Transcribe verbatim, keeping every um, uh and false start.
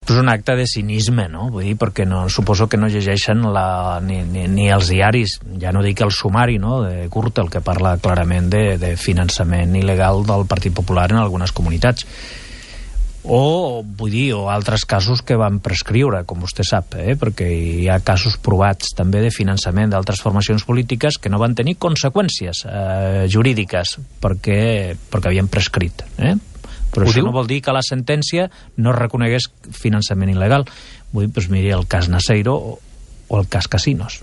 És un acte de cinisme, no? Vull dir, perquè no, suposo que no llegeixen la, ni, ni, ni els diaris, ja no dic el sumari, no?, de Gürtel, que parla clarament de, de finançament il·legal del Partit Popular en algunes comunitats. O, vull dir, o altres casos que van prescriure, com vostè sap, eh? Perquè hi ha casos provats també de finançament d'altres formacions polítiques que no van tenir conseqüències eh, jurídiques perquè, perquè havien prescrit, eh? Però Ho això diu? no vol dir que la sentència no reconegués finançament il·legal. Vull dir, doncs miri el cas Naseiro o, o el cas Casinos.